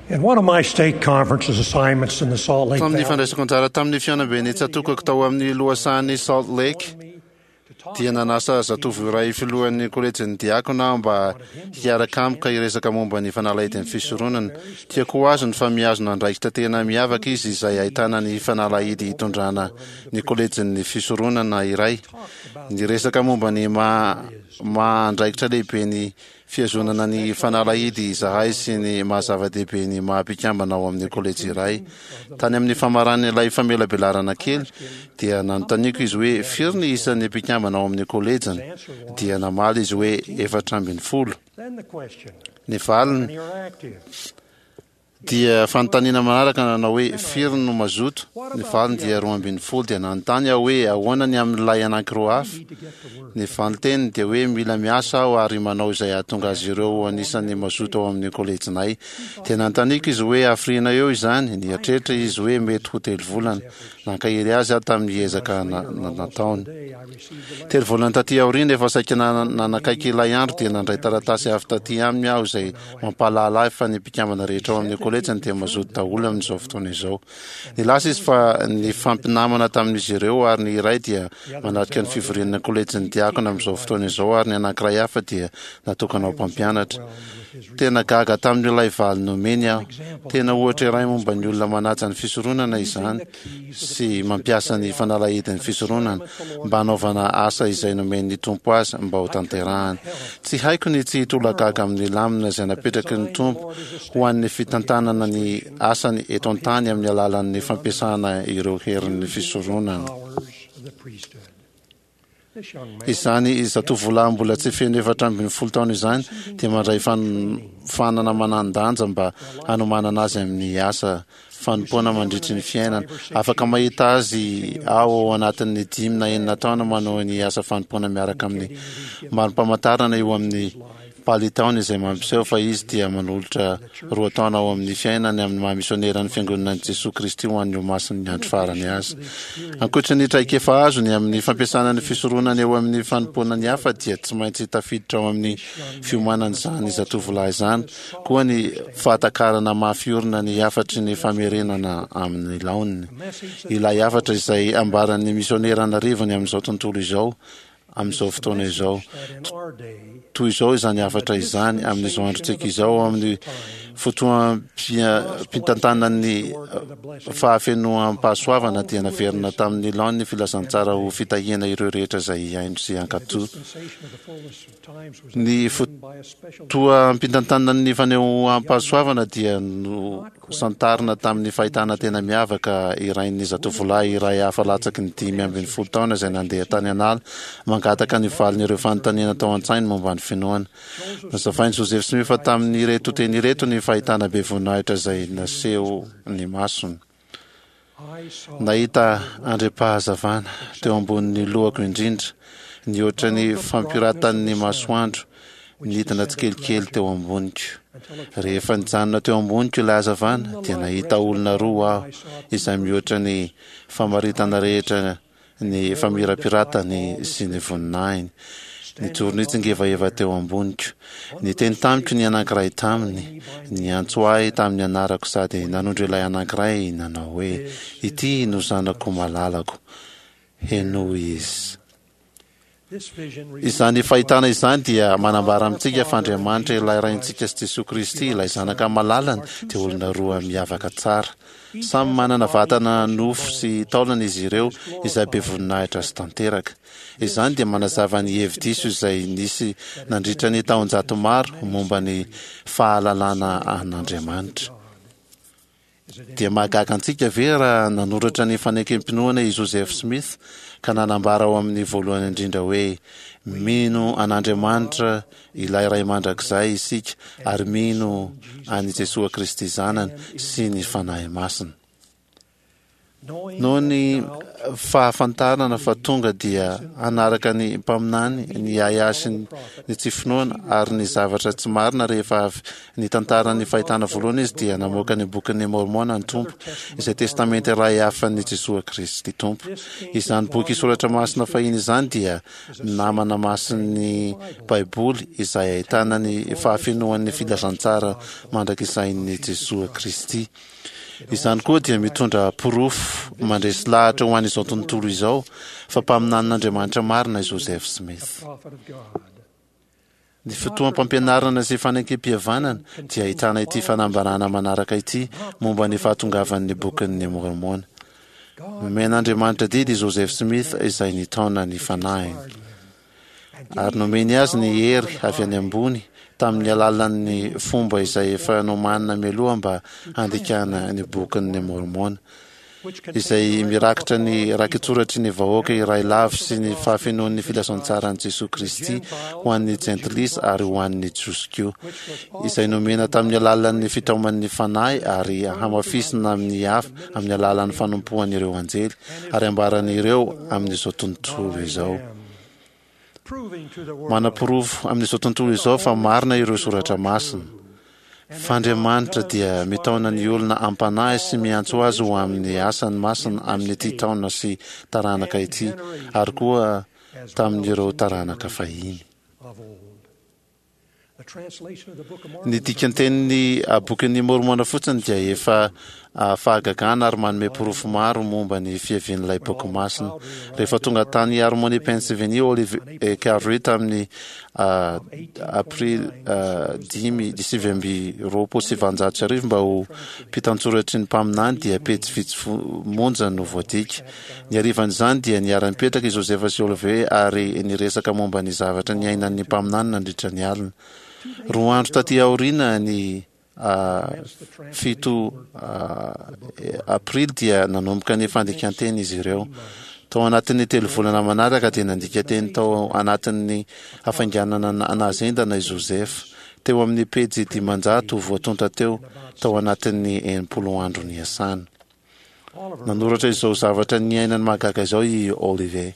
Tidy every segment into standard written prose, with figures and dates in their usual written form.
In one of my stake conferences assignments in the Salt Lake Tamin'ny Valley, fandraisako anjara tamin'ny fihaonamben'ny tsatokako tao amin'ny lohasahan'i Salt Lake, dia nanasa zatovo iray filohan'ny kolejin'ny diakona aho mba hiaraka amiko ka hiresaka momba ny fanalahidin'ny fisoronana. Tiako ho azony fa mihazona andraikitra tena miavaka izy izay ahitana ny fanalahidy hitondrana ny kolejin'ny fisoronana iray. Niresaka momba ny maha maha andraikitra lehibe ny fihazonana ny fanalahidy izahay sy ny maha zava-dehibe ny maha mpikambana ao amin'ny kolejy iray. Tany amin'ny famaran'ilay famelabelarana kely dia nanontaniako izy hoe firy ny isan'ny mpikambana ao amin'ny kolejiny. Dia namaly izy hoe 14. Ny valiny dia fanontaniana manaraka nanao hoe firy no mazoto? Ny valiny dia 12. Dia nanontany aho hoe ahoana ny amin'ilay anankiroa hafa? Ny valin-teniny dia hoe mila miasa aho ary manao izay hahatonga azy ireo ho anisan'ny mazoto ao amin'ny kolejinay. Dia nanontaniako izy hoe hafiriana eo izany? Nieritreritra izy hoe mety ho telo volana. Nankahery azy aho tamin'ny ezaka nataony. Telo volana taty aoriana, efa saika nanakaiky ilay andro, dia nandray taratasy avy taty aminy aho izay mampahalala ahy fa ny mpikambana rehetra ao amin'ny kolejiny dia mazoto daholo amin'izao fotoana izao. Nilaza izy fa nifampinamana tamin'izy ireo ary ny iray dia manatrika ny fivorian'ny kolejin'ny diakona amin'izao fotoana izao ary ny anankiray hafa dia natokana ho mpampianatra. Tena gaga tamin'ilay valiny nomeny aho. Tena ohatra iray momba ny olona manaja ny fisoronana izany sy mampiasa ny fanalahidin'ny fisoronana mba hanaovana asa izay nomen'ny Tompo azy mba ho tanterahany. Tsy haiko ny tsy hitolagaga amin'ny lamina izay napetraky ny Tompo ho an'ny fitantanana ny asany eto an-tany amin'ny alalan'ny fampiasana ireo herin'ny fisoronana. Izany zatovolahy mbola tsy feno 14 taona izany dia mandray fanofanana manan-danja mba hanomanana azy amin'ny asa fanompoana mandritry ny fiainana. Afaka mahita azy aho ao anatin'ny dimy na enina taona manao ny asa fanompoana miaraka amin'ny mari-pamantarana eo amin'ny palitaony izay mampiseho fa izy dia manolotra roa taona ao amin'ny fiainany amin'ny maha misioneran'ny Fiangonan'i Jesoa Kristy ho an'ny Olomasin'ny Andro Farany azy. Ankoatra ny traikefa azony amin'ny fampiasana ny fisoronana eo amin'ny fanompoana ny hafa dia tsy maintsy tafiditra ao amin'ny fiomanana izany zatovolahy izany koa ny fahatakarana mafy orina ny hafatry ny famerenana amin'ny laoniny. Ilay hafatra izay ambaran'ny misionera an'arivony amin'izao tontolo izao amin'izao fotoana izao. Toy izao izany hafatra izany amin'izao androntsika izao ao amin'ny fotoam-pitantanan'ny fahafenoam-pahasoavana dia naverina tamin'ny laoniny ny filazantsara ho fitahiana ireo rehetra izay hihaino sy hankatò. Ny fotoam-pitantanan'ny fanehoam-pahasoavana dia no Santarina tamin'ny fahitana tena miavaka irain'ny zatovolahy iray hafa latsaky ny 15 taona izay nandeha tany an'ala mangataka ny valin'ireo fanontaniana tao an-tsainy momba ny finoana. Nazavain'i Joseph Smith tamin'ireto teny ireto ny fahitana be voninahitra izay naseho ny masony. Nahita andriam-pahazavana teo ambonin'ny lohako indrindra, nihoatra ny fampiratan'ny masoandro, nidina tsikelikely teo amboniko. Rehefa nijanona teo amboniko ilay hazavana, dia nahita olona roa aho, izay mihoatra ny famaritana rehetra ny famirapiratany sy ny voninahiny. Nijoro nitsingevaheva teo amboniko. Niteny tamiko ny anankiray taminy, niantso ahy tamin'ny anarako sady nanondro ilay anankiray nanao hoe, Ity no zanako malalako, henoy izy. Izany fahitana izany dia manambara amintsika fa Andriamanitra ilay Raintsika sy Jesoa Kristy ilay Zanaka malalany dia olona roa miavaka tsara. Samy manana vatana nofo sy taolana izy ireo izay be voninahitra sy tanteraka. Izany dia manazava ny hevi-diso izay nisy nandritra ny taonjato maro momba ny fahalalana an'Andriamanitra. Dia mahagaga antsika ve raha nanoratra ny Fanekem-pinoana i Joseph Smith ka nanambara ao amin'ny voalohany indrindra hoe, Mino an'Andriamanitra ilay Ray Mandrakizay isika ary mino an'i Jesoa Kristy Zanany sy ny Fanahy Masina. Noho ny fahafantarana fa tonga dia hanaraka ny mpaminany ny ahiahy sy ny tsy finoana ary ny zavatra tsy marina rehefa avy nitantara ny fahitana voalohany izy dia namoaka ny Bokin'i Môrmôna ny Tompo, izay testamenta iray hafan'i Jesoa Kristy Tompo. Izany boky soratra masina fahiny izany dia namana masin'ny Baiboly izay ahitana ny fahafenoan'ny filazantsara mandrakizain'i Jesoa Kristy. Izany koa dia mitondra porofo mandresy lahatra ho an'izao tontolo izao fa mpaminanin'Andriamanitra marina i Joseph Smith. Ny fotoam-pampianarana sy fanekempihavanana dia ahitana ity fanambarana manaraka ity momba ny fahatongavan'ny Bokin'ny Môrmôna. Nomen'Andriamanitra didy i Joseph Smith izay nitaona ny fanahiny. Ary nomeny azy ny hery avy any ambony tamin'ny alalan'ny fomba izay efa nomanina mialoha mba handikana ny Bokin'i Môrmôna, izay mirakitra ny rakitsoratry ny vahoaka iray lavo sy ny fahafenoan'ny filazantsaran'i Jesoa Kristy ho an'ny Jentilisa ary ho an'ny Jiosy koa, izay nomena tamin'ny alalan'ny fitaoman'ny Fanahy ary hamafisina amin'ny hafa amin'ny alalan'ny fanompoan'ireo anjely ary ambaran'ireo amin'izao tontolo izao. Manaporofo amin'izao tontolo izao fa marina ireo soratra masina, fa Andriamanitra dia mitaona ny olona am-panahy sy miantso azy ho amin'ny asany masina amin'ity taona sy taranaka ity ary koa tamin'ireo taranaka fahiny. Ny dikantenin'ny Bokin'i Môrmôna fotsiny dia efa fahagagana ary manome porofo maro momba ny fiavian'ilay boky masina. Rehefa tonga tany Harmony, Pennsylvanie, Olive Cowdery tamin'ny Aprily 1829 mba ho mpitantsoratry ny mpaminany dia pejy vitsy monja no voadika. Ny harivan'izany dia niara-nipetraka i Josefa sy Olivier ary niresaka momba ny zavatra niainan'ny mpaminany nandritra ny alina. Roa andro taty aoriana, ny 7 Aprily dia nanomboka ny fandikan-teny izy ireo. Tao anatin'ny telo volana manaraka dia nandika teny tao anatin'ny hafainganana nahazendana i Josefa, teo amin'ny pejy 500 voatonta teo, tao anatin'ny 60 andro niasana. Nanoratra izao zavatra niainany mahagaga izao i Oliver,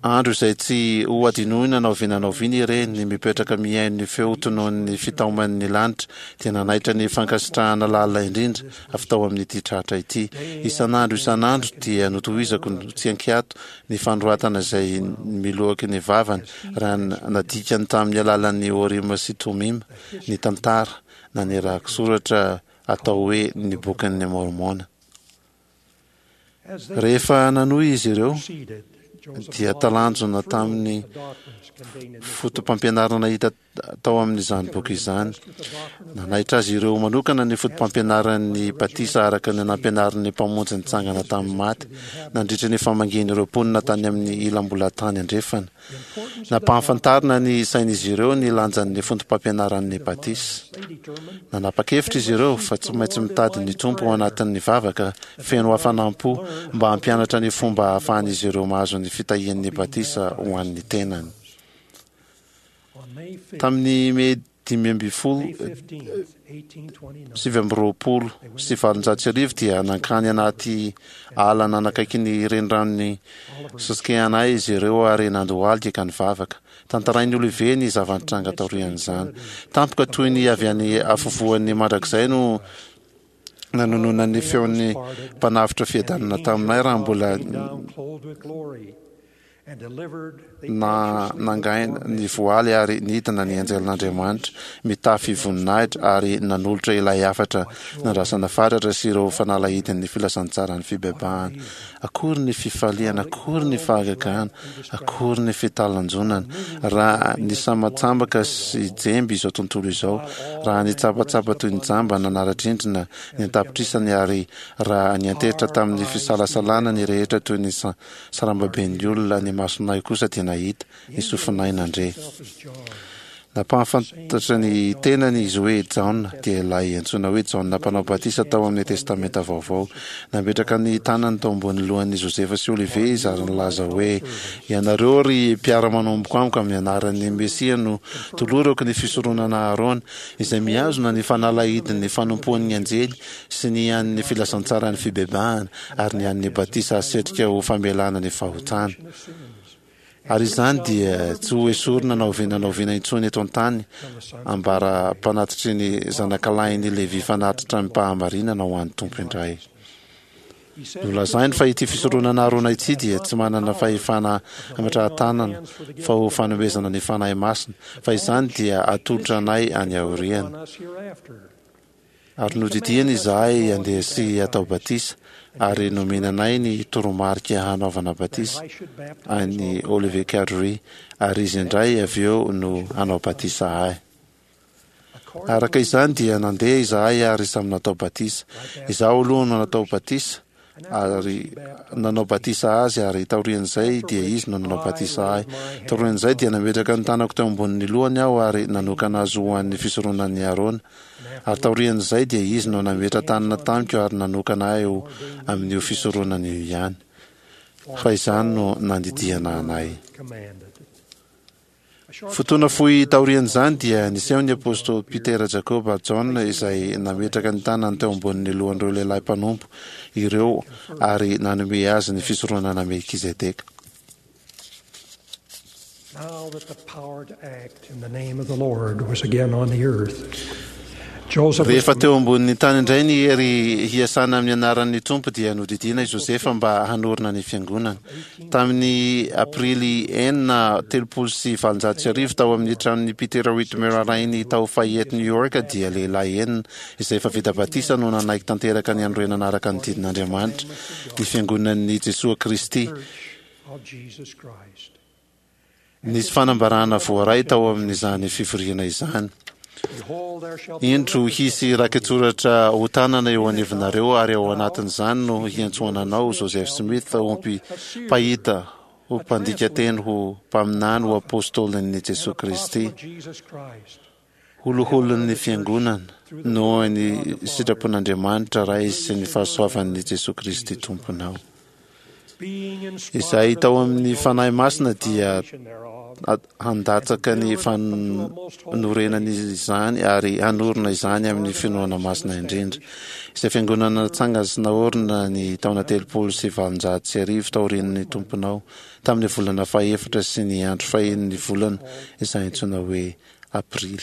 Andro izay tsy ho hadinoina na oviana na oviana ireny, ny mipetraka mihaino ny feo tononin'ny fitaoman'ny lanitra dia nanaitra ny fankasitrahana lalina indrindra avy tao amin'ity tratra ity. Isan'andro isan'andro dia notohizako tsy an-kiato ny fanoratana izay miloaky ny vavany raha nadikany tamin'ny alalan'ny Orima sy Tomima ny tantara na ny rakitsoratra atao hoe ny Bokin'i Môrmôna. Rehefa nanohy izy ireo, dia talanjona tamin'ny fotopampianarana hita tao amin'izany boky izany. Nanaitra azy ireo manokana ny fotopampianaran'ny batisa araka ny nampianarin'ny Mpamonjy nitsangana tamin'ny maty, nandritra ny famangian'ireo mponina tany amin'ny ilam-bolan-tany andrefana. Nampahafantarina ny sain'izy ireo ny lanjan'ny foto-pampianaran'ny batisa. Nanapa-kevitra izy ireo fa tsy maintsy mitady ny Tompo ao anatin'ny vavaka feno hafanam-po mba hampianatra ny fomba ahafahan'izy ireo mahazo ny fitahian'ny batisa ho an'ny tenany. Tamin'ny Mey 1829 dia nankany anaty ala nanakaiky ny reniranon'i Susquehanna izy ireo ary nandohalika ka nivavaka. Tantarain'i Olivier ny zava-nitranga taorian'izany. Tampoka toy ny avy any afovoan'ny mandrakizay no nanononan'ny feon'ny Mpanavotra fiadanana taminay raha mbola na nangaina ny voaly ary nidina ny anjelin'Andriamanitra mitafy voninahitra ary nanolotra ilay hafatra nandrasana fatratra sy ireo fanalahidin'ny filazantsaran'ny fibebahana. Akory ny fifaliana, akory ny fahagagana, akory ny fitalanjonana raha nisamatsambaka sy jemby izao tontolo izao, raha nitsapatsapa toy ny jamba nanara-drindrina ny an-tapitrisany ary raha niantehitra tamin'ny fisalasalana ny rehetra toy ny Sarambaben'ny olona, ny masonay kosa dia nahita, ny sofinay nandre. Nampahafantatra ny tenany izy hoe Jaona, dia ilay antsoina hoe Jaona Mpanao Batisa tao amin'ny Testamenta Vaovao. Nametraka ny tanany tao ambonin'ny lohan'i Josefa sy Olivier izy ary nilaza hoe, Ianareo ry mpiara-manomboka amiko, amin'ny anaran'ny Mesia no tolorako ny fisoronana Aharôna, izay mihazona ny fanalahidin'ny fanompoan'ny anjely sy ny an'ny filazantsaran'ny fibebahana ary ny an'ny batisa asetrika ho famelana ny fahotana. Ary izany dia tsy ho esorina na oviana na oviana intsony eto an-tany, ambara-panatitry ny zanakalahin'i Levy fanatitra amim-pahamarinana ho an'ny Tompo indray. Nolazainy fa ity fisoronana Arona ity dia tsy manana fahefana hametrahan-tanana fa ho fanomezana ny Fanahy Masina, fa izany dia atolotra anay any aoriana. Ary nodidiany izahay handeha sy hatao batisa, ary nomena anay ny toromarika hanaovana batisa an'i Oliver Cowdery, ary izy indray avy eo no hanao batisa ahy. Araka izany dia nandeha izahay ary samy natao batisa. Izaho aloha no natao batisa, ary nanao batisa azy, ary taorian'izay dia izy no nanao batisa ahy. Taorian'izay dia nametraka ny tanako teo ambonin'ny lohany aho ary nanokana azy ho an'ny fisoronan'i Arona. Ary taorian'izay dia izy no nametra-tanana tamiko ary nanokana ahy ho amin'io fisoronana io ihany. Fa izany no nandidiana anay. Fotoana fohy taorian'izany dia niseho ny apostoly Petera, Jakoba ary Jaona izay nametraka ny tanany teo ambonin'ny lohan'ireo lehilahy mpanompo ireo ary nanome azy ny fisoronana Melkizedeka. Now that the power to act in the name of the Lord was again on the earth, Joseph was Rehefa teo ambonin'ny tany indray ny hery hiasana amin'ny anaran'ny Tompo dia nodidiana i Josefa mba hanorina ny fiangonana. Tamin'ny Aprily 1836, tao amin'ny tranon'i Peter Whitmer rainy tao Fayette, New York, dia lehilahy enina izay efa vita batisa no nanaiky tanteraka ny hanorenana araka ny didin'Andriamanitra ny Fiangonan'i Jesoa Kristy. Nisy fanambarana voaray tao amin'izany fivoriana izany. Indro hisy rakitsoratra hotanana eo anivonareo, ary ao anatin'izany no hiantsoana anao, Joseph Smith, ho mpahita, ho mpandika teny, ho mpaminany, ho apôstôlin'i Jesoa Kristy, ho loholon'ny Fiangonana, noho ny sitrapon'Andriamanitra Ray sy ny fahasoavan'i Jesoa Kristy Tomponao. Izay tao amin'ny Fanahy Masina dia handatsaka ny fanorenana izany ary hanorina izany amin'ny finoana masina indrindra. Izay fiangonana natsangana sy naorina ny taona 1830 taorian'ny Tomponao, tamin'ny volana fahefatra sy ny andro fahenin'ny volana izay antsoina hoe Aprily.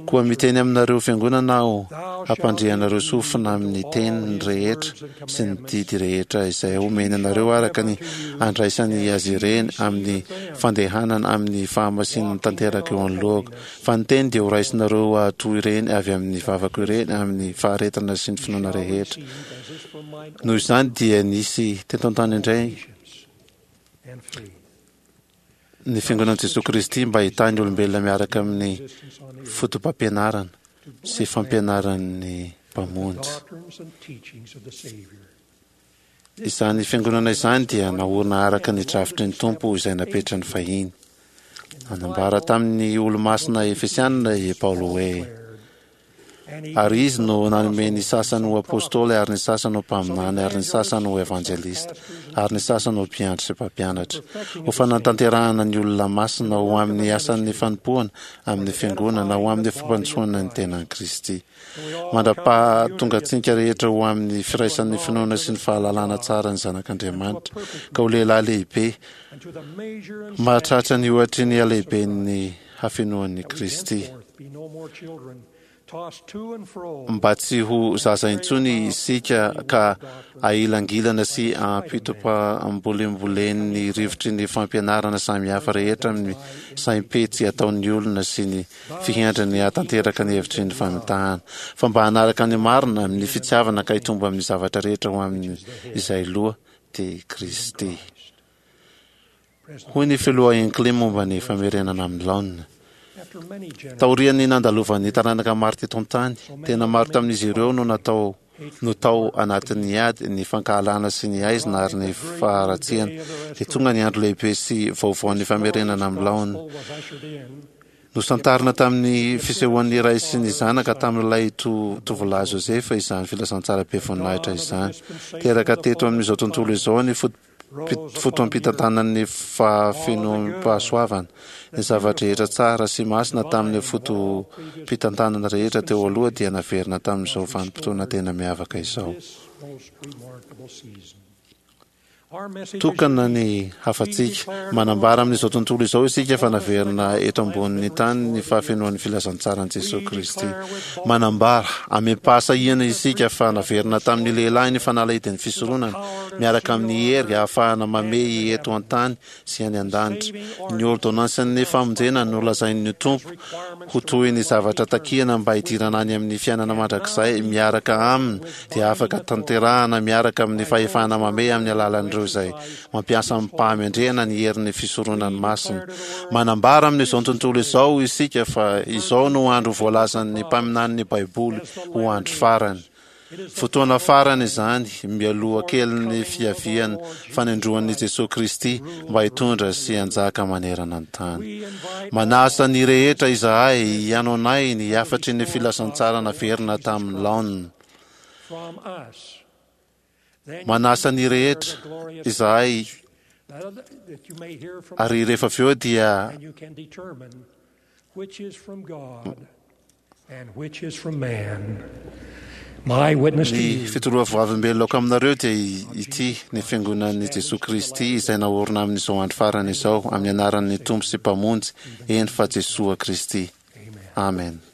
Koa miteny aminareo fiangonana aho, hampandre anareo sofina amin'ny teny rehetra sy ny didy rehetra izay omeny anareo araka ny andraisany azy ireny amin'ny fandehanana amin'ny fahamasinana tanteraka eo anoloako. Fa ny teny dia horaisinareo hahatoa ireny avy amin'ny vavako ireny amin'ny faharetana sy ny finoana rehetra. Noho izany dia nisy teto an-tany indray ny Fiangonan'i Jesoa Kristy mba hitahy ny olombelona miaraka amin'ny fotopampianarana sy fampianaran'ny Mpamonjy. Izany Fiangonana izany dia naorina araka ny drafitry ny Tompo izay napetrany fahiny. Nanambara tamin'ny Olomasina Efesianina i Paoly hoe, Ary Izy no nanome ny sasany ho apostoly, ary ny sasany ho mpaminany, ary ny sasany ho evanjelista, ary ny sasany ho mpiandry sy mpampianatra, ho fanatanterahana ny olona masina, ho amin'ny asan'ny fanompoana amin'ny fiangonana, ho amin'ny fampandrosoana ny tenan'i Kristy, mandra-pahatongantsika rehetra ho amin'ny firaisan'ny finoana sy ny fahalalana tsara ny Zanak'Andriamanitra, ka ho lehilahy lehibe, mahatratra ny ohatry ny halehiben'ny hafenoan'i Kristy. Mba tsy ho zaza intsony isika ka ahilangilana sy ampitopambolembolen'ny rivotry ny fampianarana samihafa rehetra amin'ny saim-petsy ataon'ny olona sy ny fihendrany hahatanteraka ny hevitry ny famitahana, fa mba hanaraka ny marina amin'ny fitiavana ka hitombo amin'ny zavatra rehetra ho amin'izay loha, dia Kristy. Hoy ny Filoha Hinckley momba ny famerenana amin'ny laoniny, Taorian'ny nandalovan'ny taranaka maro teto an-tany, tena maro tamin'izy ireo no natao no tao anatin'ny ady, ny fankahalana sy ny haizina ary ny faharatsiana, dia tonga ny andro lehibe sy vaovaon'ny famerenana amin'ny laoniny. Nosantarina tamin'ny fisehoan'ny Ray sy ny Zanaka tamin'ilay tovolahy Josefa izany filazantsara be voninahitra izany. Teraka teto amin'izao tontolo izao ny fotoampitantanan'ny fahafenoam-pahasoavana. Ny zava-drehetra tsara sy masina tamin'ny fotoampitantanana rehetra teo aloha dia naverina tamin'izao vanim-potoana tena miavaka izao. Tokana ny hafatsika. Manambara amin'izao tontolo izao isika fa naverina eto ambonin'ny tany ny fahafenoan'ny filazantsaran'i Jesoa Kristy. Manambara amim-pahasahiana isika fa naverina tamin'ny lehilahy ny fanalahidin'ny fisoronana, miaraka amin'ny hery ahafahana mamehy eto an-tany sy any an-danitra. Ny ôrdônansin'ny famonjena nolazain'ny Tompo ho toy ny zavatra takiana mba hidirana any amin'ny fiainana mandrakizay miaraka Aminy dia afaka tanterahana miaraka amin'ny fahefana mamehy amin'ny alalan'ireo izay mampiasa amim-pahamendrehana ny herin'ny fisoronany masina. Manambara amin'izao tontolo izao isika fa izao no andro voalazan'ny mpaminanin'ny Baiboly ho andro farany. Fotoana farany izany, mialoha kelin'ny fiavian'ny fanindroan'i Jesoa Kristy mba hitondra sy hanjaka manerana ny tany. Manasa ny rehetra izahay hihaino anay ny hafatry ny filazantsara naverina tamin'ny laoniny. Manasa ny rehetra izahay ary rehefa avy eo dia Ny fitoroavoavimbeloko aminareo dia ity, ny Fiangonan'i Jesoa Kristy izay naorina amin'izao andro farany izao, amin'ny anaran'ny Tompo sy Mpamonjy, eny fa Jesoa Kristy. Amena.